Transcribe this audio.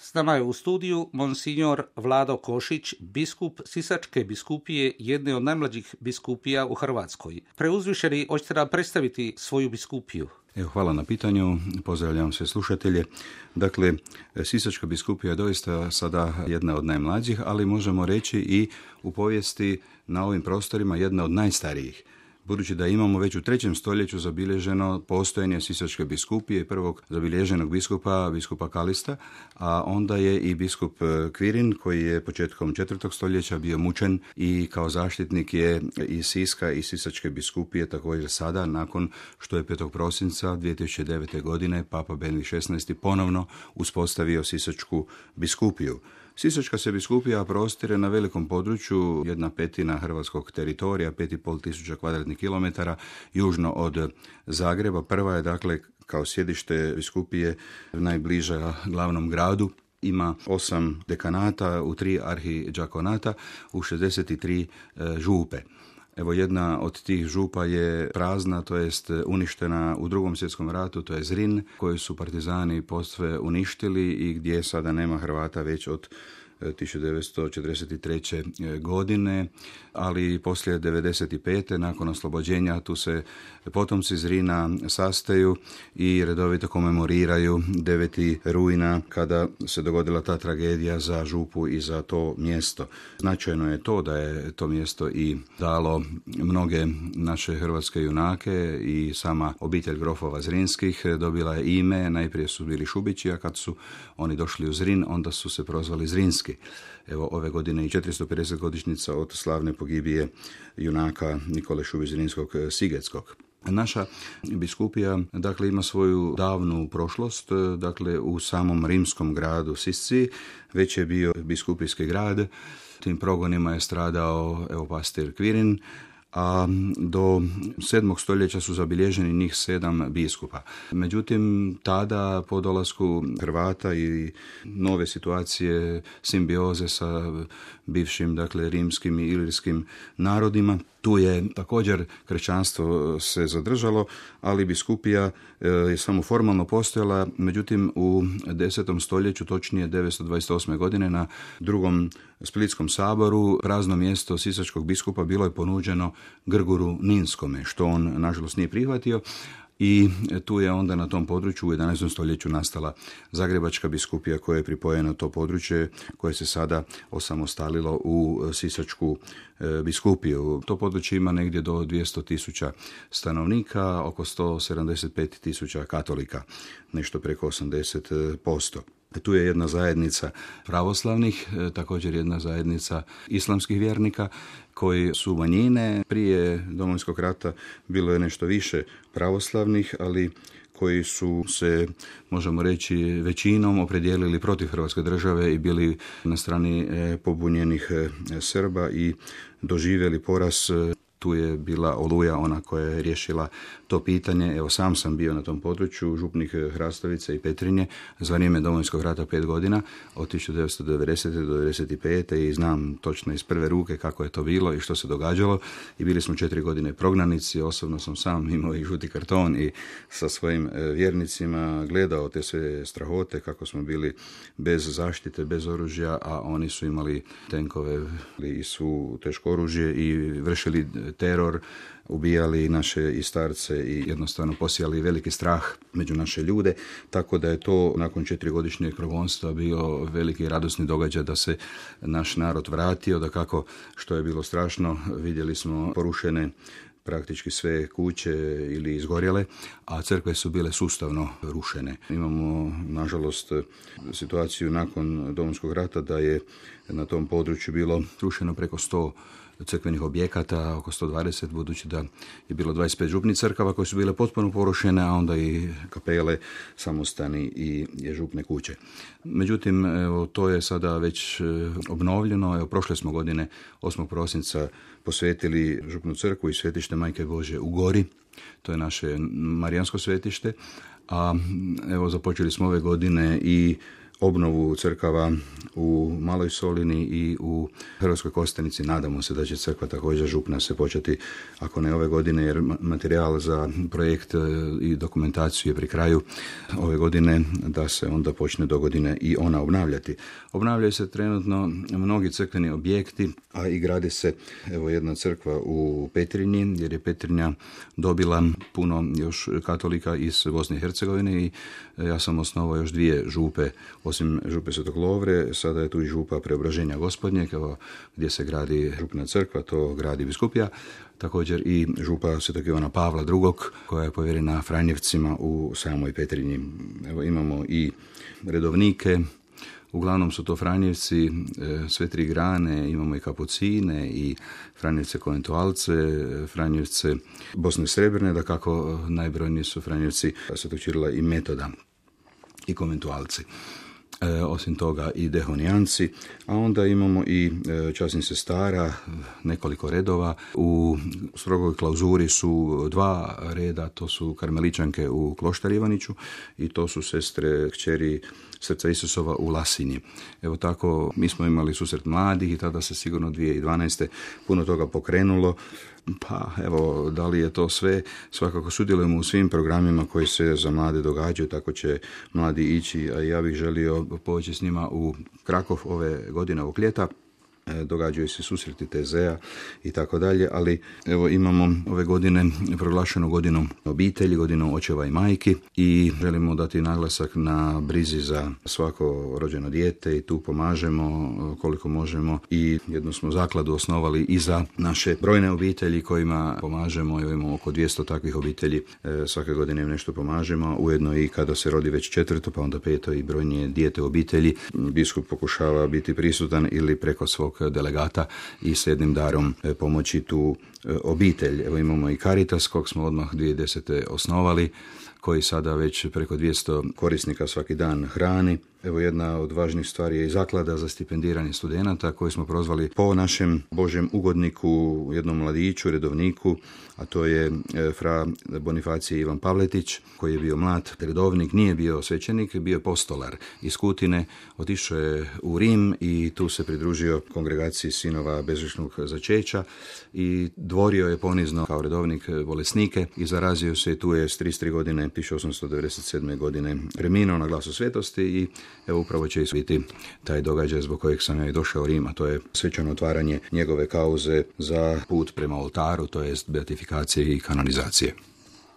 S nama je u studiju monsignor Vlado Košić, biskup Sisačke biskupije, jedne od najmlađih biskupija u Hrvatskoj. Preuzvišeni, hoćete nam predstaviti svoju biskupiju? Evo, hvala na pitanju, pozdravljam sve slušatelje. Dakle, Sisačka biskupija je doista sada jedna od najmlađih, ali možemo reći i u povijesti na ovim prostorima jedna od najstarijih. Budući da imamo već u 3. stoljeću zabilježeno postojanje Sisačke biskupije, prvog zabilježenog biskupa Kalista, a onda je i biskup Kvirin, koji je početkom 4. stoljeća bio mučen i kao zaštitnik je i Siska i Sisačke biskupije također sada, nakon što je 5. prosinca 2009. godine Papa Benedikt XVI ponovno uspostavio Sisačku biskupiju. Sisačka se biskupija prostire na velikom području, 1/5 hrvatskog teritorija, 5.500 kvadratnih kilometara, južno od Zagreba. Prva je, dakle, kao sjedište biskupije najbliža glavnom gradu. Ima 8 dekanata, u 3 arhidžakonata, u 63 župe. Evo, jedna od tih župa je prazna, to jest uništena u 2. svjetskom ratu, to je Zrin, koju su partizani posve uništili i gdje sada nema Hrvata već od 1943. godine, ali poslije 1995. nakon oslobođenja tu se potomci Zrina sastaju i redovito komemoriraju 9. rujna kada se dogodila ta tragedija za župu i za to mjesto. Značajno je to da je to mjesto i dalo mnoge naše hrvatske junake i sama obitelj grofova Zrinskih dobila je ime. Najprije su bili Šubići, a kad su oni došli u Zrin, onda su se prozvali Zrinski. Evo, ove godine i 450 godišnjica od slavne pogibije junaka Nikole Šubić Zrinskog Sigetskog. Naša biskupija, dakle, ima svoju davnu prošlost, dakle, u samom rimskom gradu Sisci, već je bio biskupijski grad. Tim progonima je stradao, evo, pastir Kvirin, a do 7. stoljeća su zabilježeni njih 7 biskupa. Međutim, tada po dolasku Hrvata i nove situacije, simbioze sa bivšim, dakle, rimskim i ilirskim narodima, tu je također kršćanstvo se zadržalo, ali biskupija je samo formalno postojala. Međutim, u 10. stoljeću, točnije 928. godine, na 2. Splitskom saboru prazno mjesto sisačkog biskupa bilo je ponuđeno Grguru Ninskome, što on nažalost nije prihvatio. I tu je onda na tom području u 11. stoljeću nastala Zagrebačka biskupija koja je pripojena to područje koje se sada osamostalilo u Sisačku biskupiju. To područje ima negdje do 200.000 stanovnika, oko 175.000 katolika, nešto preko 80%. Tu je jedna zajednica pravoslavnih, također jedna zajednica islamskih vjernika koji su manjine. Prije Domovinskog rata bilo je nešto više pravoslavnih, ali koji su se, možemo reći, većinom opredijelili protiv Hrvatske države i bili na strani pobunjenih Srba i doživjeli poraz. Tu je bila Oluja, ona koja je riješila to pitanje. Evo, sam sam bio na tom području, župnik Hrastovice i Petrinje, za vrijeme Domovinskog rata 5 godina, od 1990. do 1995. i znam točno iz prve ruke kako je to bilo i što se događalo. I bili smo 4 godine prognanici, osobno sam sam imao i žuti karton i sa svojim vjernicima gledao te sve strahote, kako smo bili bez zaštite, bez oružja, a oni su imali tenkove i su teško oružje i vršili teror, ubijali naše i starce i jednostavno posijali veliki strah među naše ljude, tako da je to nakon 4-godišnjeg progonstva bio veliki radosni događaj da se naš narod vratio, da kako što je bilo strašno, vidjeli smo porušene praktički sve kuće ili izgorjele, a crkve su bile sustavno rušene. Imamo, nažalost, situaciju nakon Domovinskog rata da je na tom području bilo rušeno preko 100 crkvenih objekata, oko 120, budući da je bilo 25 župnih crkava koje su bile potpuno porušene, a onda i kapele, samostani i župne kuće. Međutim, evo, to je sada već obnovljeno. Evo, prošle smo godine 8. prosinca posvetili župnu crkvu i svetište Majke Božje u Gori. To je naše marijansko svetište. A evo, započeli smo ove godine i obnovu crkava u Maloj Solini i u Hrvatskoj Kostajnici. Nadamo se da će crkva također župna se početi, ako ne ove godine, jer materijal za projekt i dokumentaciju je pri kraju ove godine, da se onda počne do godine i ona obnavljati. Obnavljaju se trenutno mnogi crkveni objekti, a i gradi se jedna crkva u Petrinji, jer je Petrinja dobila puno još katolika iz Bosne i Hercegovine i ja sam osnovao još 2 župe, osim župe Svetog Lovre, sada je tu i župa Preobraženja Gospodnjeg, gdje se gradi župna crkva, to gradi biskupija, također i župa Svetog Ivana Pavla II, koja je povjerena Franjevcima u samoj Petrinji. Imamo i redovnike, uglavnom su to Franjevci, sve 3 grane, imamo i Kapucine i Franjevce Konventualce, Franjevce Bosne Srebrne, da kako najbrojniji su Franjevci Svetog Ćirila i Metoda i Konventualci. Osim toga i Dehonijanci, a onda imamo i časnih sestara, nekoliko redova. U strogoj klauzuri su 2 reda, to su karmeličanke u Kloštar Ivaniću i to su sestre kćeri Srca Isusova u Lasinji. Evo tako, mi smo imali susret mladih i tada se sigurno 2012. puno toga pokrenulo. Pa evo, da li je to sve? Svakako sudjelujemo u svim programima koji se za mlade događaju, tako će mladi ići, a ja bih želio poći s njima u Krakov ove godine, ovog ljeta. Događaju se susreti TZ-a i tako dalje, ali evo imamo ove godine proglašenu godinu obitelji, godinu očeva i majki i želimo dati naglasak na brizi za svako rođeno dijete i tu pomažemo koliko možemo i jednu smo zakladu osnovali i za naše brojne obitelji kojima pomažemo. Evo imamo oko 200 takvih obitelji, svake godine im nešto pomažemo, ujedno i kada se rodi već 4. pa onda 5. i brojnije dijete u obitelji. Biskup pokušava biti prisutan ili preko svog delegata i s jednim darom pomoći tu obitelj. Evo imamo i Caritas, kog smo odmah 2010. osnovali, koji sada već preko 200 korisnika svaki dan hrani. Evo jedna od važnih stvari je i zaklada za stipendiranje studenata koju smo prozvali po našem Božjem ugodniku, jednom mladiću, redovniku, a to je fra Bonifacije Ivan Pavletić, koji je bio mlad redovnik, nije bio svećenik, bio je postolar iz Kutine, otišao je u Rim i tu se pridružio kongregaciji sinova bezgrešnog začeća i dvorio je ponizno kao redovnik bolesnike i zarazio se i tu je s 33 godine, 1897. godine preminuo na glasu svetosti i evo upravo će biti taj događaj zbog kojeg sam ja i došao u Rim, a to je svečano otvaranje njegove kauze za put prema oltaru, to jest beatifikacije i kanonizacije.